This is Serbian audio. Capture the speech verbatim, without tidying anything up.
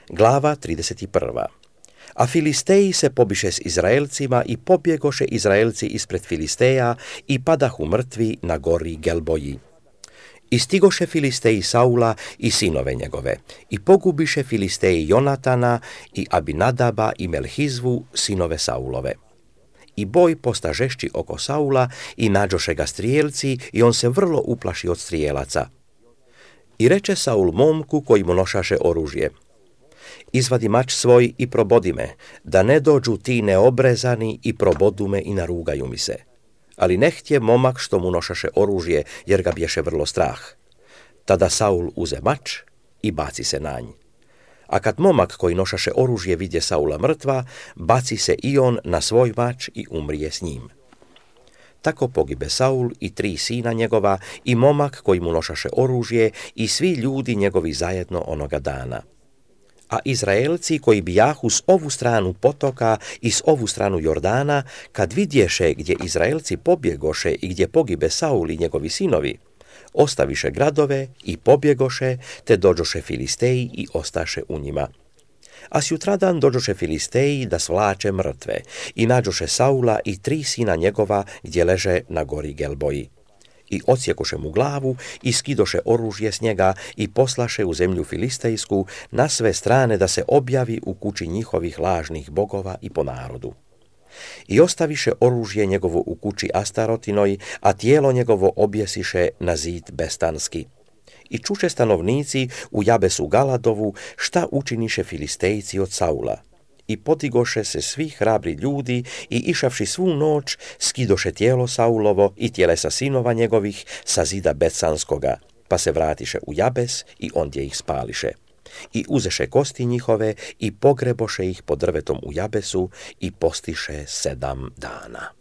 Glava trideset prva. A Filisteji se pobiše s Izraelcima i pobjegoše Izraelci ispred Filisteja i padahu mrtvi na gori Gelboji. I stigoše Filisteji Saula i sinove njegove, i pogubiše Filisteji Jonatana i Abinadaba i Melhizvu, sinove Saulove. I boj posta žešći oko Saula i nađoše ga strijelci i on se vrlo uplaši od strijelaca. I reče Saul momku koji mu nošaše oružje: izvadi mač svoj i probodi me, da ne dođu ti neobrezani i probodu me i narugaju mi se. Ali ne htje momak što mu nošaše oružje, jer ga bješe vrlo strah. Tada Saul uze mač i baci se na nj. A kad momak koji nošaše oružje vidje Saula mrtva, baci se i on na svoj mač i umrije s njim. Tako pogibe Saul i tri sina njegova i momak koji mu nošaše oružje i svi ljudi njegovi zajedno onoga dana. A Izraelci koji bijahu s ovu stranu potoka i s ovu stranu Jordana, kad vidješe gdje Izraelci pobjegoše i gdje pogibe Saul i njegovi sinovi, ostaviše gradove i pobjegoše, te dođoše Filisteji i ostaše u njima. A sjutradan dođoše Filisteji da svlače mrtve i nađoše Saula i tri sina njegova gdje leže na gori Gelboji. I odsjekoše mu glavu i skidoše oružje s njega i poslaše u zemlju filistejsku na sve strane da se objavi u kući njihovih lažnih bogova i po narodu. I ostaviše oružje njegovo u kući Astarotinoj, a tijelo njegovo objesiše na zid Bestanski. I čuše stanovnici u Jabesu Galadovu šta učiniše Filistejci od Saula. I podigoše se svi hrabri ljudi i išavši svu noć skidoše tijelo Saulovo i tjelesa sinova njegovih sa zida Betsanskoga, pa se vratiše u Jabes i ondje ih spališe. I uzeše kosti njihove i pogreboše ih pod drvetom u Jabesu i postiše sedam dana.